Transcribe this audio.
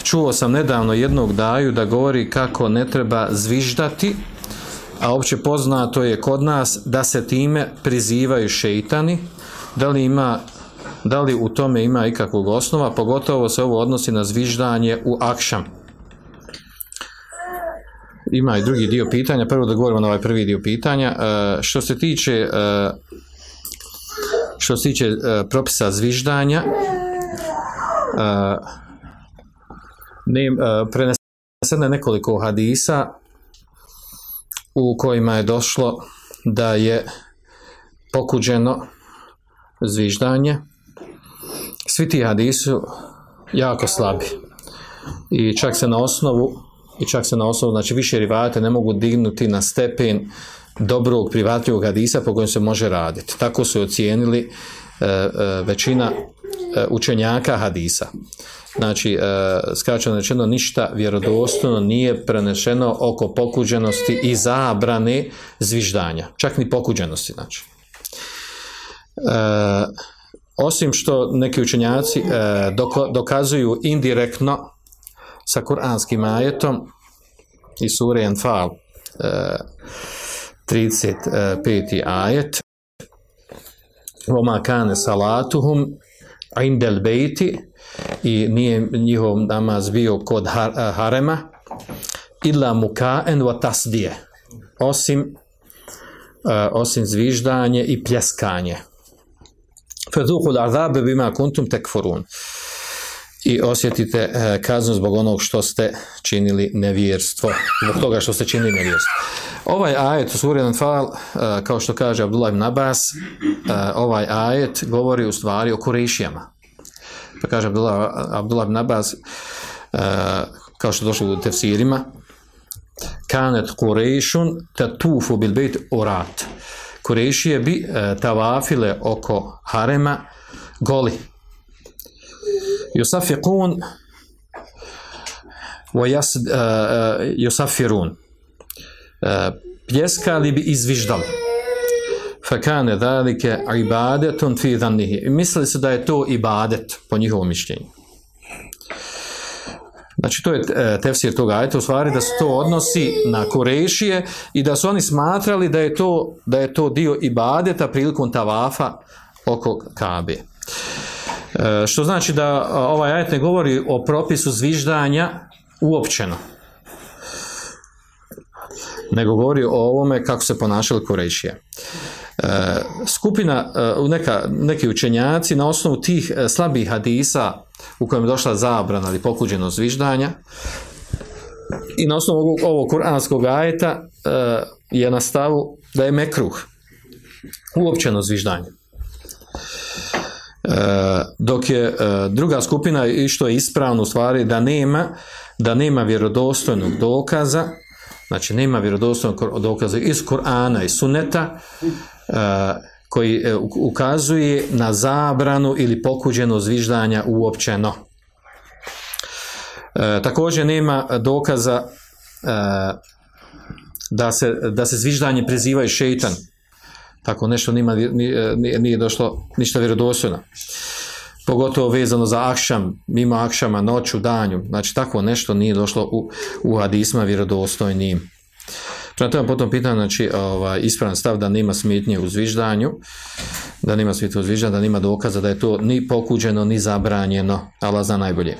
čuo sam nedavno jednog daju da govori kako ne treba zviždati, a opće poznato je kod nas da se time prizivaju šeitani. Da li u tome ima ikakvog osnova, pogotovo se ovo odnosi na zviždanje u akšam. Ima i drugi dio pitanja, prvo da govorimo na ovaj prvi dio pitanja. Što se tiče propisa zviždanja, preneseno je nekoliko hadisa u kojima je došlo da je pokuđeno zviždanje. Svi ti hadisi su jako slabi i čak se na osnovu, znači više rivajata ne mogu dignuti na stepen dobrog prihvatljivog hadisa po kojem se može raditi. Tako su ocijenili većina učenjaka hadisa. Znači, skraćeno rečeno, ništa vjerodostojno nije prenešeno oko pokuđenosti i zabrane zviždanja. Čak ni pokuđenosti, znači. Osim što neki učenjaci dokazuju indirektno sa kuranskim ajetom iz sure Anfal 35. ajet وَمَا كَانَ صَلَاتُهُمْ عِنْدَ الْبَيْتِ i nije njihov namaz bio kod harema illa mukaen wa tasdije, osim zviždanje i pljeskanje. فَذُوقُوا الْعَذَابَ بِمَا كُنْتُمْ تَكْفُرُونَ i osjetite kaznu zbog onog što ste činili nevjerstvo, zbog toga što ste činili nevjerstvo. Ovaj ajet u suri Anfal, kao što kaže Abdullah ibn Abbas, ovaj ajet govori u stvari o Kurejšijama. Pa kaže Abdullah ibn Abbas, kao što došlo u tefsirima, kanet Kurejšun tatufu bil bejt urat. Kurejšije bi tavafile oko harema goli. Yusafiqun wa yusafirun. Pljeskali bi i zviždali. Fakane zalike ibadetun fi dhannihi. Mislili su da je to ibadet po njihovom mišljenju. Znači to je tefsir toga ajeta, u stvari da se to odnosi na Kurejšije i da su oni smatrali da je to dio ibadeta prilikom tavafa oko Kabe. Što znači da ovaj ajet ne govori o propisu zviždanja uopćeno, nego govori o ovome kako se ponašali Kurejšije. Neki učenjaci na osnovu tih slabih hadisa u kojem je došla zabrana ili pokuđenost zviždanja i na osnovu ovog kuranskog ajeta je na stavu da je mekruh uopćeno zviždanje. Dok je druga skupina, i što je ispravno u stvari, da nema vjerodostojnog dokaza, znači nema vjerodostojnog dokaza iz Kur'ana i Sunneta koji ukazuje na zabranu ili pokuđenost zviždanja uopćeno. Također nema dokaza da se zviždanje prizivaju šeitan. Tako nešto nije došlo ništa vjerodostojno. Pogotovo vezano za akšam, mimo akšama, noću, danju. Znači, tako nešto nije došlo u hadisma vjerodostojnim. Prema tome, potom pitam, znači, ispravan stav da nema smetnje u zviždanju, da nema dokaza da je to ni pokuđeno, ni zabranjeno, Allah zna najbolje.